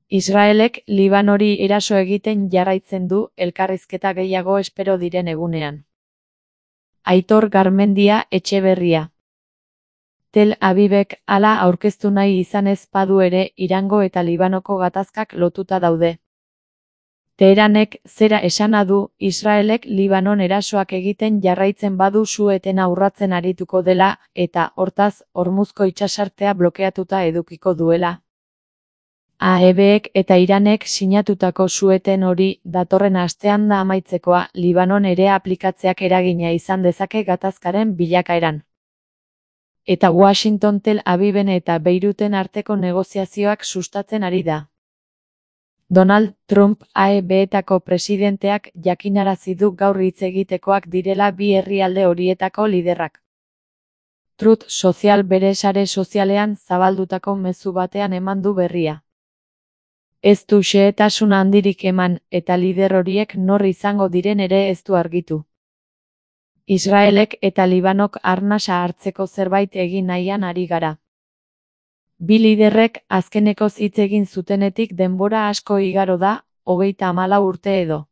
Israelek Libanori eraso egiten jarraitzen du elkarrizketa gehiago espero diren egunean. Aitor Garmendia Etxeberria. Tel Avivek hala aurkeztu nahi izan ez badu ere Irango eta Libanoko gatazkak lotuta daude. Teheranek zera esana du Israelek Libanon erasoak egiten jarraitzen badu su-etena urratzen arituko dela eta, hortaz, Hormuzko itsasartea blokeatuta edukiko duela. AEBek eta Iranek sinatutako su-eten hori datorren astean da amaitzekoa Libanon ere aplikatzeak eragina izan dezake gatazkaren bilakaeran. Eta Washington Tel Aviven eta Beiruten arteko negoziazioak sustatzen ari da. Donald Trump AEBetako presidenteak jakinarazi du gaur hitz egitekoak direla bi herrialde horietako liderrak. Truth Social bere sare sozialean zabaldutako mezu batean eman du berria. Ez du xehetasun handirik eman eta lider horiek nor izango diren ere ez du argitu. Israelek eta Libanok arnasa hartzeko zerbait egin nahian ari gara. Bi liderrek azkenekoz hitz egin zutenetik denbora asko igaro da, 34 urte edo.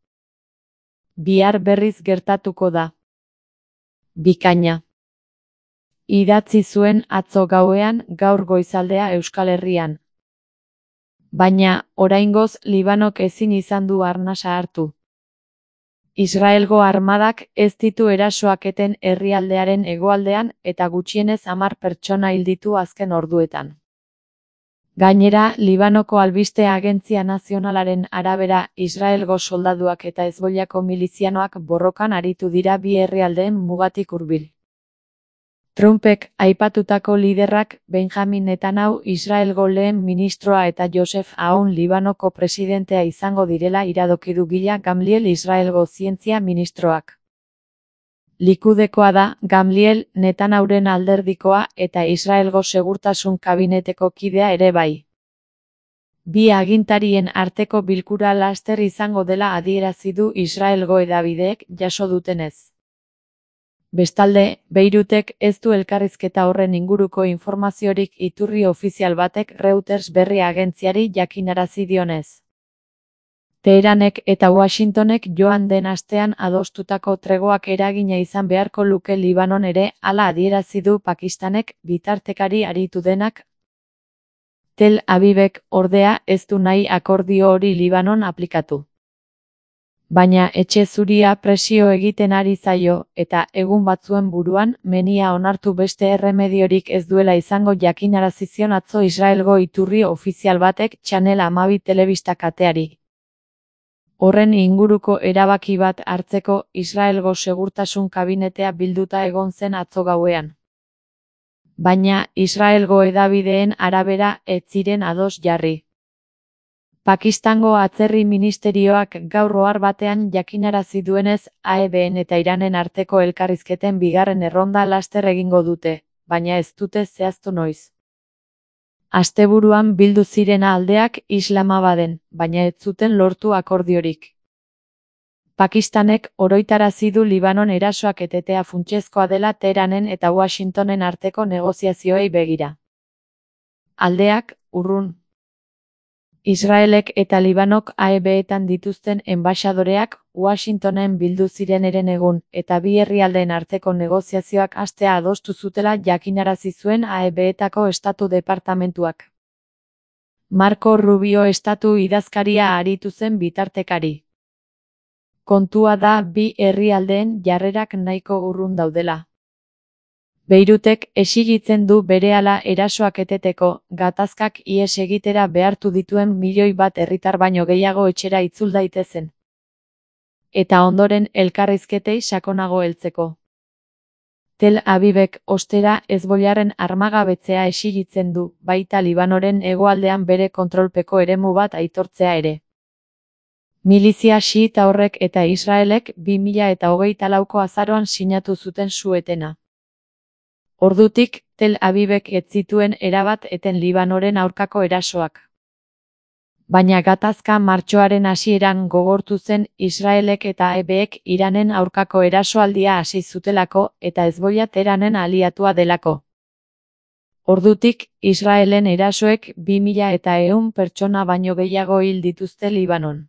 Bihar berriz gertatuko da. Bikaina. Idatzi zuen atzo gauean gaur goizaldea Euskal Herrian. Baina, oraingoz Libanok ezin izan du arnasa hartu. Israelgo armadak ez ditu erasoak eten herrialdearen hegoaldean eta gutxienez 10 pertsona hil ditu azken orduetan. Gainera, Libanoko albiste agentzia nazionalaren arabera Israelgo soldaduak eta Hezbollako milizianoak borrokan aritu dira bi herrialdeen mugatik hurbil. Trumpek aipatutako liderrak Benjamin Netanyahu Israelgo lehen ministroa eta Joseph Aoun Libanoko presidentea izango direla iradoki du Gila Gamliel Israelgo zientzia ministroak. Likudekoa da Gamliel Netanyahuren alderdikoa eta Israelgo segurtasun kabineteko kidea ere bai. Bi agintarien arteko bilkura laster izango dela adierazi du Israelgo hedabideek jaso dutenez. Bestalde, Beirutek ez du elkarrizketa horren inguruko informaziorik iturri ofizial batek Reuters berri agentziari jakinarazi dionez. Teheranek eta Washingtonek joan den astean adostutako tregoak eragina izan beharko luke Libanon ere hala adierazi du Pakistanek bitartekari aritu denak. Tel Avivek ordea ez du nahi akordio hori Libanon aplikatu. Baina etxe zuria presio egiten ari zaio eta egun batzuen buruan menia onartu beste erremediorik ez duela izango jakinarazi zion atzo Israelgo iturri ofizial batek Channel 12 telebista kateari. Horren inguruko erabaki bat hartzeko Israelgo segurtasun kabinetea bilduta egon zen atzo gauean. Baina Israelgo hedabideen arabera ez ziren ados jarri. Pakistango atzerri ministerioak gaur ohar batean jakinarazi duenez AEBen eta Iranen arteko elkarrizketen bigarren erronda laster egingo dute, baina ez dute zehaztu noiz. Asteburuan bildu ziren aldeak Islamabaden, baina ez zuten lortu akordiorik. Pakistanek oroitarazi du Libanon erasoak etetea funtsezkoa dela Teheranen eta Washingtonen arteko negoziazioei begira. Aldeak, urrun. Israelek eta Libanok AEBetan dituzten enbaxadoreak Washingtonen bildu ziren herenegun eta bi herrialdeen arteko negoziazioak hastea adostu zutela jakinarazi zuen AEBetako estatu departamentuak. Marco Rubio estatu idazkaria aritu zen bitartekari. Kontua da bi herrialdeen jarrerak nahiko urrun daudela. Beirutek exigitzen du berehala erasoak eteteko, gatazkak ihes egitera behartu dituen 1 milioi herritar baino gehiago etxera itzul daitezen. Eta ondoren elkarrizketei sakonago heltzeko. Tel Avivek ostera Hezbollaren armagabetzea exigitzen du, baita Libanoren hegoaldean bere kontrolpeko eremu bat aitortzea ere. Milizia xiita horrek eta Israelek 2024ko azaroan sinatu zuten su-etena. Ordutik, Tel Avivek ez zituen erabat eten Libanoren aurkako erasoak. Baina gatazka martxoaren hasieran gogortu zen Israelek eta AEBek Iranen aurkako erasoaldia hasi zutelako eta Hezbollah Teheranen aliatua delako. Ordutik, Israelen erasoek 2100 pertsona baino gehiago hil dituzte Libanon.